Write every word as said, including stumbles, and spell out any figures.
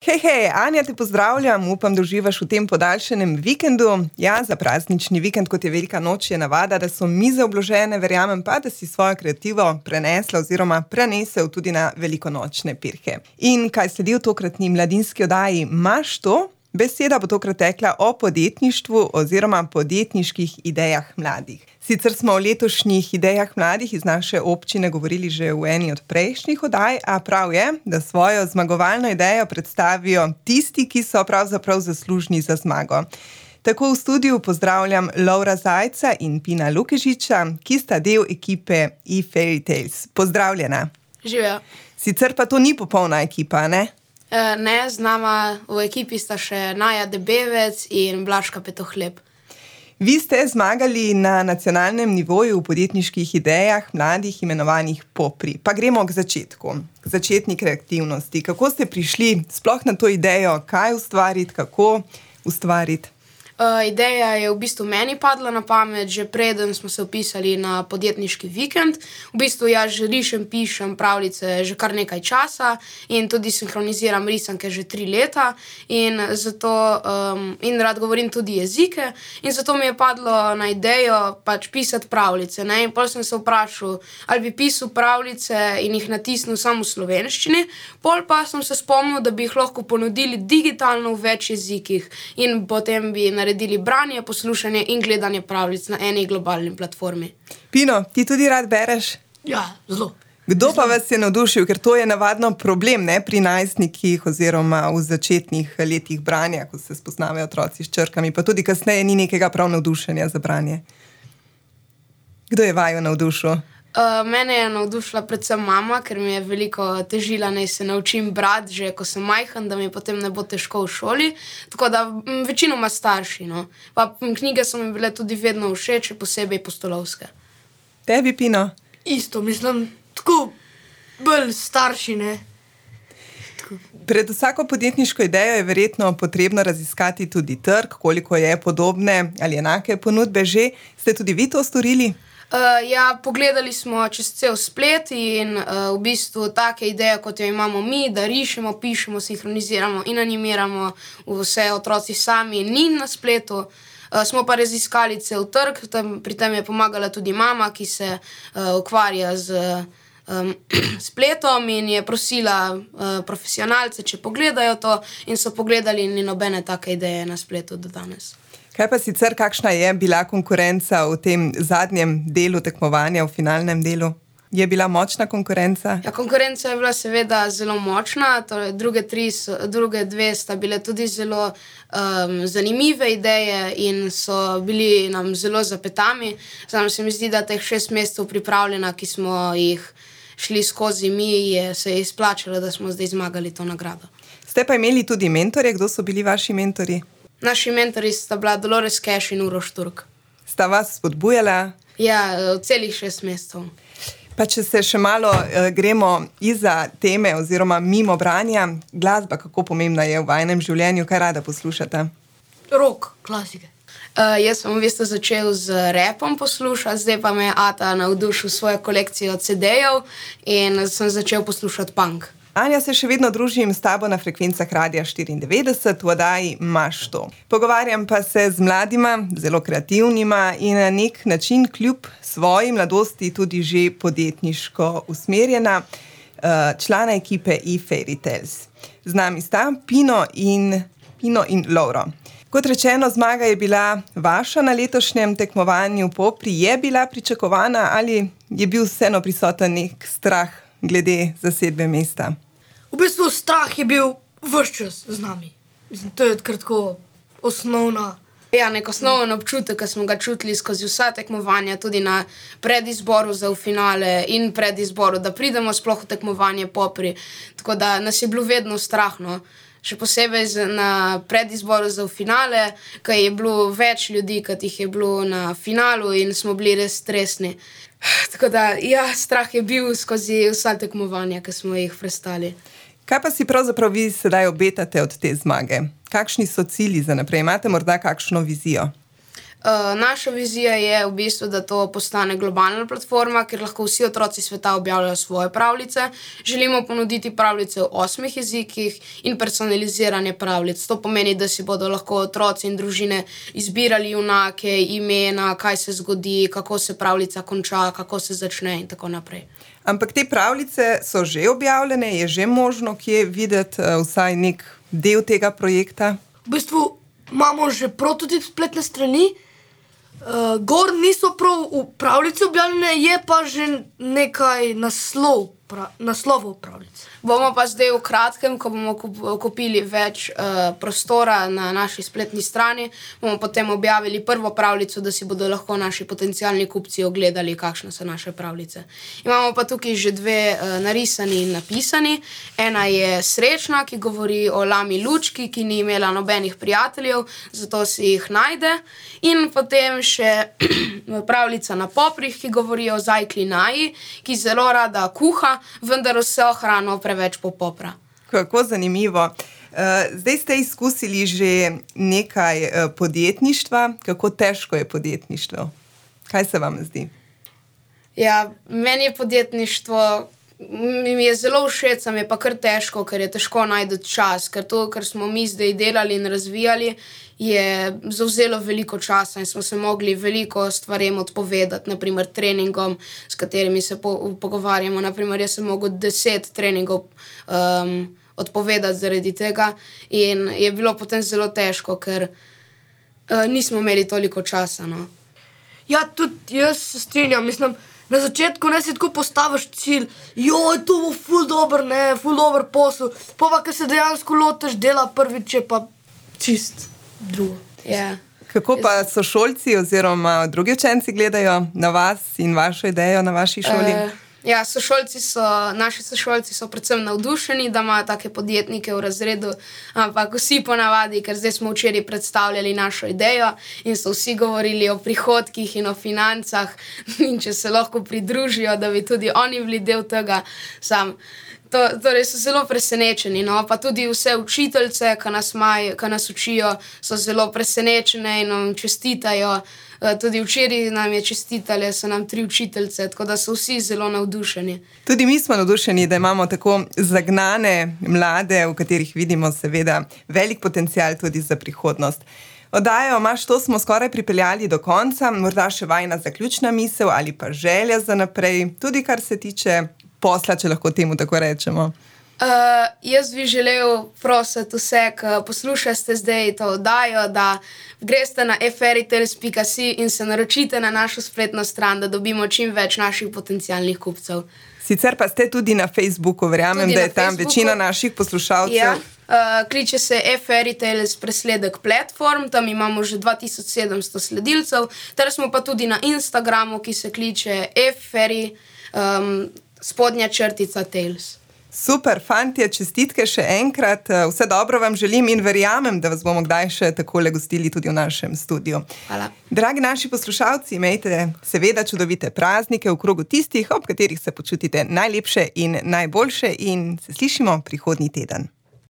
Hej, hej, Anja, te pozdravljam, upam, da uživaš v tem podaljšanem vikendu. Ja, za praznični vikend, kot je velika noč, je navada, da so mize obložene, verjamem pa, da si svojo kreativo prenesla oziroma prenesel tudi na velikonočne pirhe. In kaj sledi v tokratni mladinski oddaji Maš to? Beseda bo tokrat tekla o podjetništvu oziroma podjetniških idejah mladih. Sicer smo o letošnjih idejah mladih iz naše občine govorili že v eni od prejšnjih oddaj, a prav je, da svojo zmagovalno idejo predstavijo tisti, ki so pravzaprav zaslužni za zmago. Tako v studiu pozdravljam Lovra Zajca in Pina Lukežiča, ki sta del ekipe eFairytales. Pozdravljena. Živjo. Sicer pa to ni popolna ekipa, ne? E, ne, z nama v ekipi sta še Naja Debevec in Blažka Petohleb. Vi ste zmagali na nacionalnem nivoju v podjetniških idejah mladih imenovanih Popri. Pa gremo k začetku, k začetni kreativnosti. Kako ste prišli sploh na to idejo, kaj ustvariti, kako ustvariti? Uh, ideja je v bistvu meni padla na pamet, že preden smo se vpisali na podjetniški vikend. V bistvu jaz že rišem, pišem pravljice že kar nekaj časa in tudi sinhroniziram risanke že tri leta in, zato, um, in rad govorim tudi jezike in zato mi je padlo na idejo pač pisati pravljice. Ne? In pol sem se vprašal, ali bi pisal pravljice in jih natisnil samo v slovenščini, pol pa sem se spomnil, da bi jih lahko ponudili digitalno v več jezikih in potem bi naredili naredili branje, poslušanje in gledanje pravljic na eni globalni platformi. Pino, ti tudi rad bereš? Ja, zelo. Kdo pa vas je navdušil? Ker to je navadno problem, ne, pri najstnikih oziroma v začetnih letih branja, ko se spoznavajo otroci s črkami, pa tudi kasneje ni nekega prav navdušenja za branje. Kdo je vaju navdušil? Uh, mene je navdušila predvsem mama, ker mi je veliko težila, naj se naučim brati, že ko sem majhen, da mi potem ne bo težko v šoli. Tako da m, večinoma starši. No. Pa m, knjige so mi bile tudi vedno všeč, posebej pustolovske. Tebi, Pino? Isto, mislim, tako bolj starši, ne. Tako. Pred vsako podjetniško idejo je verjetno potrebno raziskati tudi trg, koliko je podobne ali enake ponudbe že. Ste tudi vi to storili? Uh, ja, pogledali smo čez cel splet in uh, v bistvu take ideje, kot jo imamo mi, da rišemo, pišemo, sinhroniziramo in animiramo vse otroci sami, ni na spletu. Uh, smo pa raziskali cel trg, tam, pri tem je pomagala tudi mama, ki se uh, ukvarja z um, spletom in je prosila uh, profesionalce, če pogledajo to in so pogledali in ni nobene take ideje na spletu do danes. Kaj pa sicer, kakšna je bila konkurenca v tem zadnjem delu tekmovanja, v finalnem delu? Je bila močna konkurenca? Ja, konkurenca je bila seveda zelo močna, torej druge, tri so, druge dve sta bile tudi zelo um, zanimive ideje in so bili nam zelo zapetami. Samo se mi zdi, da teh šest mesecev pripravljena, ki smo jih šli skozi mi, je se je izplačalo, da smo zdaj zmagali to nagrado. Ste pa imeli tudi mentorje, kdo so bili vaši mentorji? Naši mentori sta bila Dolores Cash in Uroš Turk. Sta vas spodbujala? Ja, celih šest mesecev. Pa če se še malo uh, gremo izza teme oziroma mimo branja, glasba, kako pomembna je v vajinem življenju, kaj rada poslušate? Rock, klasike. Uh, jaz sem v bistvu začel z rapom poslušati, zdaj pa me je Ata navdušil svojo kolekcijo ce dejev in sem začel poslušati punk. Anja, se še vedno družim s tabo na frekvencah Radia štiriindevetdeset v oddaji Maš to. Pogovarjam pa se z mladima, zelo kreativnima in na nek način kljub svoji mladosti tudi že podjetniško usmerjena člana ekipe eFairytales. Z nami sta Pino in, Pino in Lovro. Kot rečeno, zmaga je bila vaša na letošnjem tekmovanju Popri. Je bila pričakovana ali je bil vseeno prisoten nek strah glede zasedbe mesta? V bistvu strah je bil ves čas z nami. Mislim, to je kratko osnovna. Ja, nek osnoven občutek, ki smo ga čutili skozi vsa tekmovanja, tudi na predizboru za v finale in predizboru, da pridemo sploh v tekmovanje Popri. Tako da nas je bilo vedno strah, no. Še posebej na predizboru za v finale, ker je bilo več ljudi, kot jih je bilo na finalu in smo bili res stresni. Tako da, ja, strah je bil skozi vsa tekmovanja, ki smo jih prestali. Kaj pa si pravzaprav vi sedaj obetate od te zmage? Kakšni so cilji za naprej? Imate morda kakšno vizijo? Uh, naša vizija je v bistvu, da to postane globalna platforma, kjer lahko vsi otroci sveta objavljajo svoje pravljice. Želimo ponuditi pravljice v osmih jezikih in personaliziranje pravljic. To pomeni, da si bodo lahko otroci in družine izbirali junake, imena, kaj se zgodi, kako se pravljica konča, kako se začne in tako naprej. Ampak te pravljice so že objavljene, je že možno kje videti uh, vsaj nek del tega projekta? V bistvu imamo že prototip spletne strani. Uh, gor niso prav v pravljici objavljene, je pa že nekaj naslov, pra, naslovov pravljic. Bomo pa zdaj v kratkem, ko bomo kupili več uh, prostora na naši spletni strani, bomo potem objavili prvo pravljico, da si bodo lahko naši potencialni kupci ogledali, kakšne so naše pravljice. Imamo pa tukaj že dve uh, narisani in napisani. Ena je Srečna, ki govori o lami Lučki, ki ni imela nobenih prijateljev, zato si jih najde. In potem še pravljica Na poprih, ki govori o zajkli Naji, ki zelo rada kuha, vendar vse hrano preveč popopra. Kako zanimivo. Zdaj ste izkusili že nekaj podjetništva. Kako težko je podjetništvo? Kaj se vam zdi? Ja, meni je podjetništvo, mi je zelo všeč, mi je pa kar težko, ker je težko najti čas, ker to, kar smo mi zdaj delali in razvijali, je zavzelo veliko časa in smo se mogli veliko stvarem odpovedati, naprimer treningom, s katerimi se po, pogovarjamo. Naprimer, jaz sem mogel deset treningov um, odpovedati zaradi tega in je bilo potem zelo težko, ker uh, nismo imeli toliko časa. No. Ja, tudi jaz se strinjam, mislim, na začetku ne si tako postaviš cilj, joj, to bo ful dober, ne, ful dober posel, pa pa, ker se dejansko lotiš dela prvič, je pa čist drugo. Yeah. Kako pa sošolci oziroma drugi učenci gledajo na vas in vašo idejo na vaši šoli? Uh, ja, sošolci so, naši sošolci so predvsem navdušeni, da imajo take podjetnike v razredu, ampak vsi ponavadi, ker zdaj smo včeraj predstavljali našo idejo in so vsi govorili o prihodkih in o financah in če se lahko pridružijo, da bi tudi oni bili del tega, sam. To, torej so zelo presenečeni, no, pa tudi vse učiteljice, ki nas, maj, ki nas učijo, so zelo presenečene in nam čestitajo. Tudi včeraj nam je čestitale, so nam tri učiteljice, tako da so vsi zelo navdušeni. Tudi mi smo navdušeni, da imamo tako zagnane mlade, v katerih vidimo seveda velik potencial tudi za prihodnost. Oddajo Maš to smo skoraj pripeljali do konca, morda še vajna zaključna misel ali pa želja za naprej, tudi kar se tiče posla, če lahko temu tako rečemo. Uh, jaz bi želel prositi vse, ki poslušate zdaj to oddajo, da greste na e fairytales pika si in se naročite na našo spletno stran, da dobimo čim več naših potencialnih kupcev. Sicer pa ste tudi na Facebooku, verjamem, tudi da je tam Facebooku večina naših poslušalcev. Ja, uh, kliče se e fairytales presledek platform, tam imamo že dva tisoč sedemsto sledilcev, ter smo pa tudi na Instagramu, ki se kliče e fairy um, spodnja črtica Tales. Super, fantje, čestitke še enkrat. Vse dobro vam želim in verjamem, da vas bomo kdaj še takole gostili tudi v našem studiu. Hvala. Dragi naši poslušalci, imejte seveda čudovite praznike v krogu tistih, ob katerih se počutite najlepše in najboljše in se slišimo prihodnji teden.